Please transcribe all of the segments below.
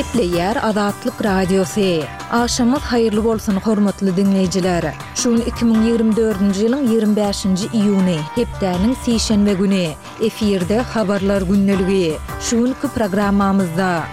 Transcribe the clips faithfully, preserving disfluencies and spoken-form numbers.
Gepleýär Azatlyk Radiosy. Agşamyňyz haýyrly bolsun, hormatly diňleýjiler! Şu gün iki müň ýigrimi dördünji ýylyň ýigrimi bäşinji iýuny, hepdäniň sişenbe güni. Efirde Habarlar gündeligi. Şu günki programmamyzda.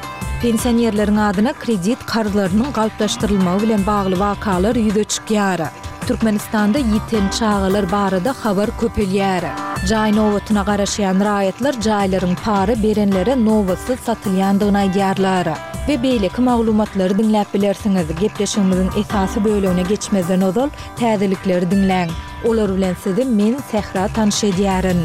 Pensionerleriň adyna kredit karzlarynyň galplaşdyrylmagy bilen bagly wakalar ýüze çykýar. Türkmenistanda ýiten çagalar barada habar köpelýär. Jaý nobatyna garaşýan raýatlar jaýlaryň para berenlere nobatsyz satylýandygyny aýdýarlar. We beýleki maglumatlary diňläp bilersiňiz. Gepleşigimiziň esasy bölegine geçmezden ozal, täzelikleri diňläň. Olar bilen sizi men, Sähra tanyş edýärin.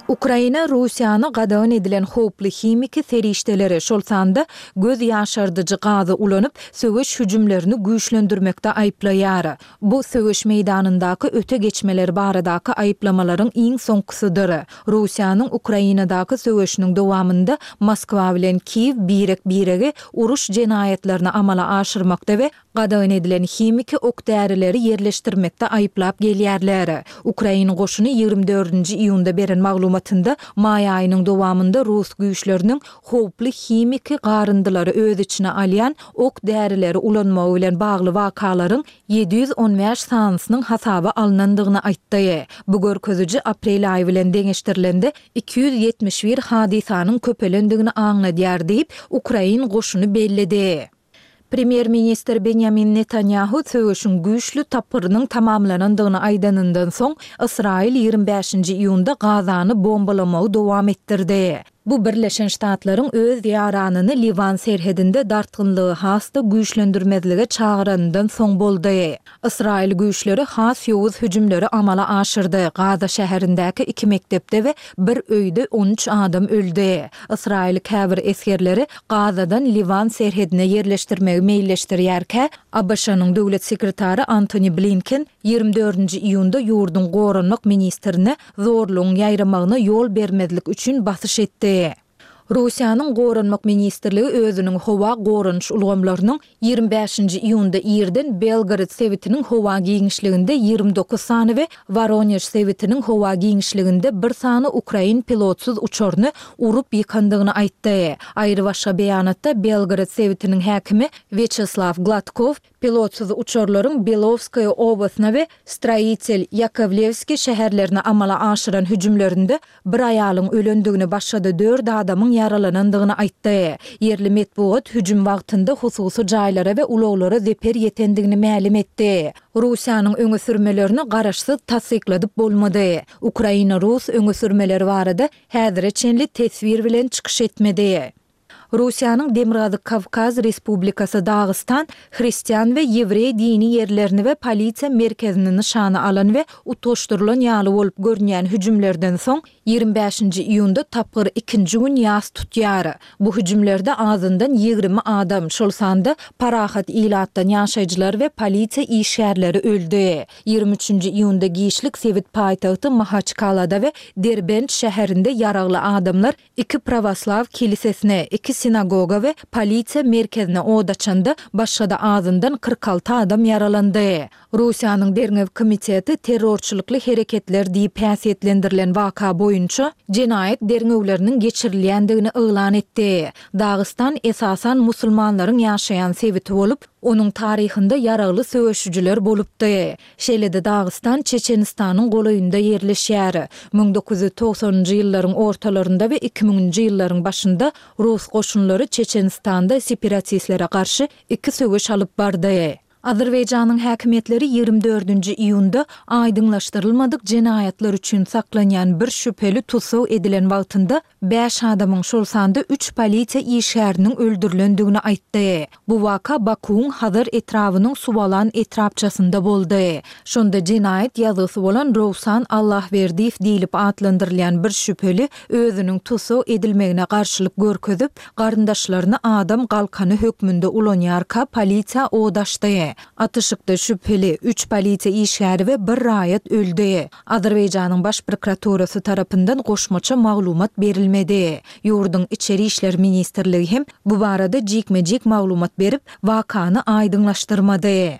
Ukraina Russiýany gadagan edilen howply himiki serişdeleri, şol sanda göz ýaşardyjy gazy ulanyp, söweş hüjümlerini güýçlendirmekde aýyplaýar. Bu söweş meýdanyndaky öte geçmeler baradaky aýyplamalaryň iň soňkusydyr. Russiýanyň Ukrainadaky söweşiniň dowamynda Moskwa bilen Kiýew birek-biregi uruş jenaýatlaryny amala aşyrmakda we gadagan edilen himiki ok-därileri ýerleşdirmekde aýyplap gelýärler. Ukrain goşuny ýigrimi dördünji iýunda beren maglumatynda maý aýynyň dowamynda rus güýçleriniň howply himiki garyndylary öz içine alýan ok-därileri ulanmagy bilen bagly wakalaryň ýedi ýüz on bäş sanysynyň hasaba alnandygyny aýtdy. Bu görkeziji aprel aýy bilen deňeşdirilende iki ýüz ýetmiş bir hadysanyň köpelendigini aňladýar diýip, ukrain goşuny belledi. Premýer-ministr Benýamin Netanýahu söweşiň güýçli tapgyrynyň tamamlanandygyny aýdanyndan soň, Ysraýyl ýigrimi bäşinji iýunda Gazany bombalamagy dowam etdirdi. Bu Birleşen Ştatlaryň öz ýaranyny Liwan serhedinde dartgynlygy has-da güýçlendirmezlige çagyranyndan soň boldy. Ysraýyl güýçleri has ýowuz hüjümleri amala aşyrdy, Gaza şäherindäki iki mekdepde we bir öýde on üç adam öldi. Ysraýyl käbir esgerleri Gazadan Liwan serhedine ýerleşdirmegi meýilleşdirýärkä, ABŞ-nyň döwlet sekretary Antoni Blinken ýigrimi dördünji iýunda ýurduň goranmak ministrine zorlugyň ýaýramagyna ýol bermezlik üçin basyş etdi. Russiýanyň Goranmak ministrligi özüniň howa goranyş ulgamlarynyň ýigrimi bäşinji iýunda irden Belgorod sebitiniň howa giňişliginde ýigrimi dokuz sany we Woronež sebitiniň howa giňişliginde bir sany ukrain pilotsyz uçaryny urup ýykandygyny aýtdy. Aýrybaşga beýanatda Belgorod sebitiniň häkimi Wýaçeslaw Gladkow Pilotsyz uçarlaryň Belowskaýa obasyna we Stroitel, Ýakowlewskiý şäherlerine amala aşyran hüjümlerinde bir aýalyň ölendigini, başga-da dört adamyň ýaralanandygyny aýtdy. Ýerli metbugat hüjüm wagtynda hususy jaýlara we ulaglara zeper ýetendigini mälim etdi. Russiýanyň öňe sürmelerini garaşsyz tassykladyp bolmady. Ukraina rus öňe sürmeleri barada häzire çenli teswir bilen çykyş etmedi. Russiýanyň Demirgazyk Kawkaz Respublikasy Dagystan hristian we ýewreý dini ýerlerini we polisiýa merkezini nyşana alan we utgaşdyrylan ýaly bolup görünýän hüjümlerden soň ýigrimi bäşinji iýunda tapgyr ikinji gün ýas tutýar. Bu hüjümlerde azyndan ýigrimi adam, şol sanda parahat ilatdan ýaşaýjylar we polisiýa işgärleri öldi. Ýigrimi üçünji iýunda giçlik sebit paýtagty Mahaçkalada we Derbent şäherinde ýaragly adamlar iki prawoslaw kilisesine, iki sinagoga we polisiýa merkezine od açanda, başga-da azyndan kyrk alty adam ýaralandy. Russiýanyň Derňew komiteti terrorçylykly hereketler diýip häsiýetlendirilen waka boýunça jenaýat derňewleriniň geçirilýändigini yglan etdi. Dagystan esasan musulmanlaryň ýaşaýan sebiti bolup, onuň taryhynda ýaragly söweşijiler bolupdy. Şeýle-de Dagystan Çeçenistanyň golaýynda ýerleşýär. Müň dokuz ýüz togsanynjy ýyllaryň ortalarynda we iki müňünji ýyllaryň başynda rus goşunlary Çeçenistanda separatistlere garşy iki söweş alyp bardy. Azerbaýjanyň häkimiýetleri ýigrimi dördünji iýunda aýdyňlaşdyrylmadyk jenaýatlar üçin saklanýan bir şübheli tussag edilen wagtynda bäş adamyň, şol sanda üç polisiýa işgäriniň öldürilendigini aýtdy. Bu waka Bakuwyň Hazar etrabynyň Suwalan etrapçasynda boldy. Şonda jenaýat ýazgysy bolan Rowsan Allahwerdiýew diýlip atlandyrylýan bir şübheli özüniň tussag edilmegine garşylyk görkezip, garyndaşlaryny adam galkany hökmünde ulanýarka polisiýa od açdy. Atyşykda şübheli, üç polisiýa işgäri we bir raýat öldi. Azerbaýjanyň Baş prokuraturasy tarapyndan goşmaça maglumat berilmedi. Ýurduň Içeri işler ministrligi hem bu barada jikme-jik maglumat berip, wakany aýdyňlaşdyrmady.